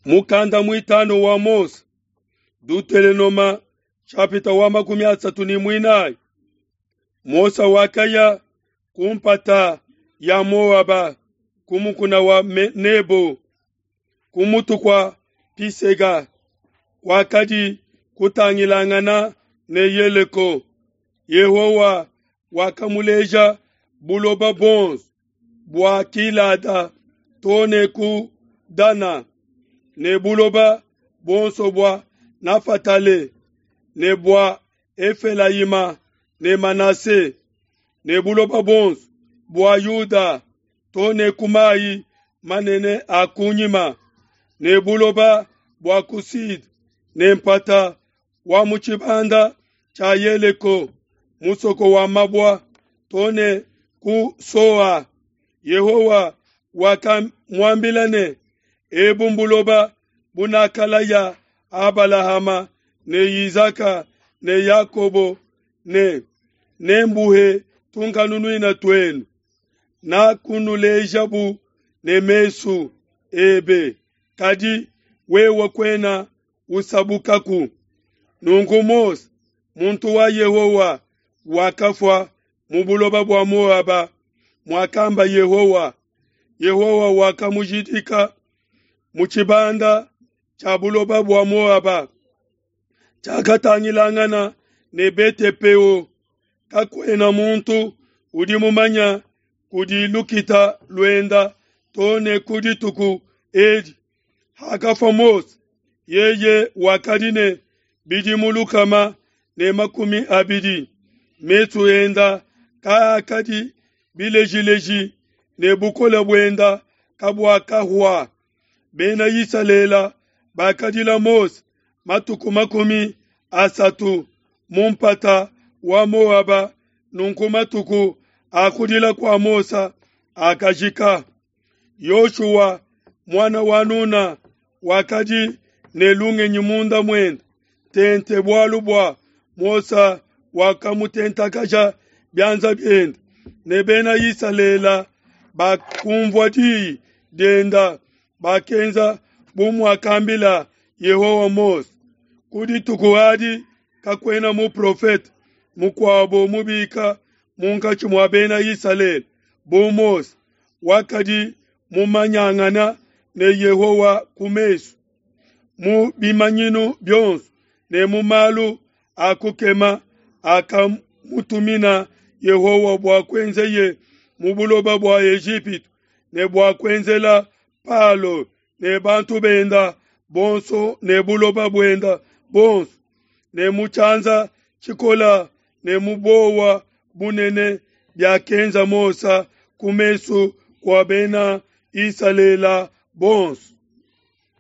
Mukanda muitanu wa Mose, Dutelenoma chapita wa 34. Mose wakaya ku mpata ya Moaba ku mukuna wa Nebo ku mutu kua Pisega wakadi kutangilangana ne Yeleko. Yehowa wakamuleja buloba buonso bua Gilada too ne ku Dana, ne buloba buonso bua Nafatale, ne bua Efelayima ne Manase, ne buloba buonso bua Yuda too ne ku mayi manene a kunyima, ne buloba bua ku Sud, ne mpata wa mu tshibanda tshia Yeleko, musoko wa mabua, too ne ku Soa. Yehowa wakamuambila ne, Ebu mbuloba bunakalaya Abalahama ne Izaka ne Yakobo ne nembuhe tunkanunuina tuenu. Nakunulejabu ne mesu ebe, kadi wewe kuena usabukaku. Nunku Mose, muntu wa Yehowa, wakafua mu buloba bua Moaba, muakamba Yehowa. Yehowa wakamujidika mu tshibanda tshia buloba bua Moaba, tshiakatangilangana ne Bete-Peo. Kakuena muntu udi mumanya kudi lukita luenda too ne ku dituku edi. Hakafua Mose, yeye wakadi ne bidimu 120. Mesu enda kaakadi bilejileji ne bukole buenda kabuakahua. Bena Isalele bakadila Mose matuku 30 mu mpata wa Moaba. Nunku matuku a kudila kua Mose akajika. Yoshua muana wa Nuna wakadi ne lungenyi munda muende tente, bualu bua Mose wakamutentakaja bianza biende, ne bena Isalele bakumvua diyi dienda, bakenza bu muakambila Yehowa Mose. Ku dituku adi kakuena muprofete mukuabo mubika munkatshi mua bena Isalele bu Mose, wakadi mumanyangana ne Yehowa ku mesu, mu bimanyinu bionso ne mu malu a kukema akamutumina Yehowa bua kuenzeye mu buloba bua Ejipitu ne bua kuenzela Palo ne bantu benda bonso ne buloba buenda bonso, ne mu tshianza tshikola ne mu bowa bunene biakenza Mose ku mesu kua bena Isalele bonso.